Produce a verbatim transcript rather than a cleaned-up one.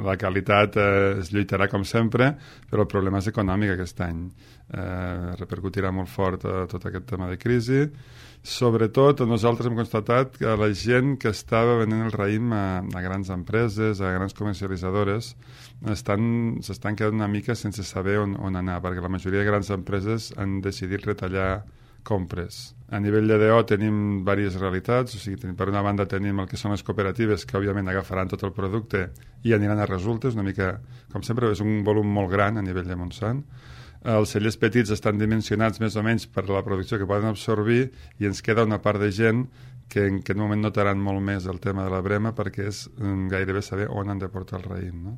la qualitat eh, es lluitarà com sempre, però el problema és econòmic aquest any. Eh, repercutirà molt fort eh, tot aquest tema de crisi. Sobretot, nosaltres hem constatat que la gent que estava venent el raïm a, a grans empreses, a grans comercialitzadores, estan, s'estan quedant una mica sense saber on, on anar, perquè la majoria de grans empreses han decidit retallar compres. A nivell de D O tenim diverses realitats, o sigui, tenim, per una banda tenim el que són les cooperatives, que òbviament agafaran tot el producte i aniran a resultes, una mica, com sempre, és un volum molt gran a nivell de Montsant. Els cellers petits estan dimensionats més o menys per la producció que poden absorbir i ens queda una part de gent que en aquest moment notaran molt més el tema de la brema perquè és gairebé saber on han de portar el raïm, no?